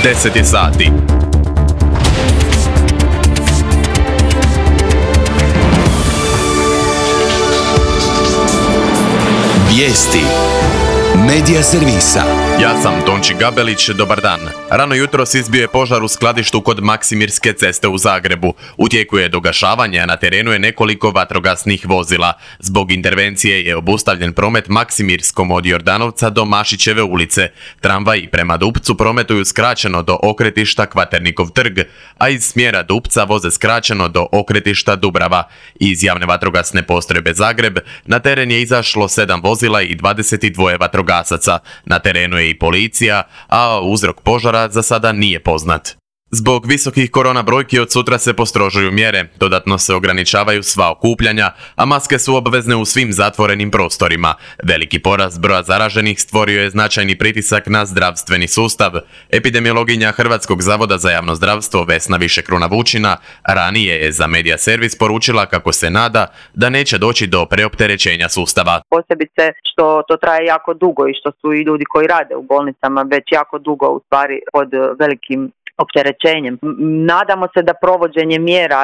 10 sati. Vijesti Medija servisa. Ja sam Tonči Gabelić, dobar dan. Rano jutros izbio je požar u skladištu kod Maksimirske ceste u Zagrebu. U tijeku je dogašavanje, a na terenu je nekoliko vatrogasnih vozila. Zbog intervencije je obustavljen promet Maksimirskom od Jordanovca do Mašićeve ulice. Tramvaji prema Dupcu prometuju skraćeno do okretišta Kvaternikov trg, a iz smjera Dupca voze skraćeno do okretišta Dubrava. Iz javne vatrogasne postrojbe Zagreb na teren je izašlo 7 vozila i 22 vatrogasaca. Na terenu je i policija, a uzrok požara za sada nije poznat. Zbog visokih korona brojki od sutra se postrožuju mjere, dodatno se ograničavaju sva okupljanja, a maske su obvezne u svim zatvorenim prostorima. Veliki porast broja zaraženih stvorio je značajni pritisak na zdravstveni sustav. Epidemiologinja Hrvatskog zavoda za javno zdravstvo Vesna Višekruna Vučina ranije je za Medija servis poručila kako se nada da neće doći do preopterećenja sustava. Posebice što to traje jako dugo i što su i ljudi koji rade u bolnicama već jako dugo u stvari pod velikim opterećenjem. Nadamo se da provođenje mjera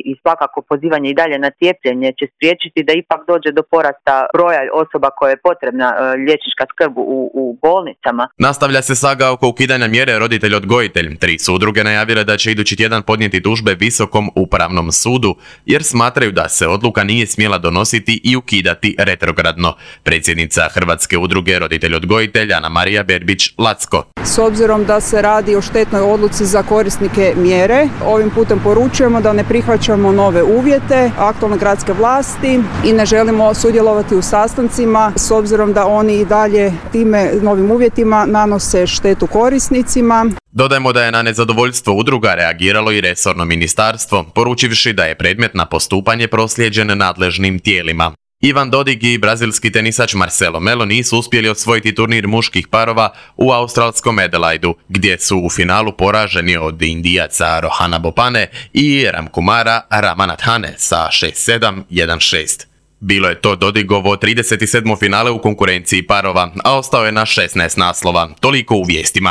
i svakako pozivanje i dalje na cijepljenje će spriječiti da ipak dođe do porasta broja osoba koje je potrebna liječnička skrb u bolnicama. Nastavlja se saga oko ukidanja mjere roditelj-odgojitelj. 3 su udruge najavile da će idući tjedan podnijeti tužbe Visokom upravnom sudu, jer smatraju da se odluka nije smjela donositi i ukidati retrogradno. Predsjednica Hrvatske udruge roditelj-odgojitelj Ana Marija Berbić-Lacko. S obzirom da se radi o štetnoj odluci za korisnike mjere, ovim putem poručujemo da ne prihvaćamo nove uvjete aktualne gradske vlasti i ne želimo sudjelovati u sastancima s obzirom da oni i dalje time novim uvjetima nanose štetu korisnicima. Dodajmo da je na nezadovoljstvo udruga reagiralo i resorno ministarstvo, poručivši da je predmet na postupanje proslijeđen nadležnim tijelima. Ivan Dodig i brazilski tenisač Marcelo Melo nisu uspjeli osvojiti turnir muških parova u australskom Adelaidu, gdje su u finalu poraženi od Indijaca Rohana Bopane i Ramkumara Ramanathane sa 6-7, 1-6. Bilo je to Dodigovo 37. finale u konkurenciji parova, a ostao je na 16 naslova. Toliko u vijestima.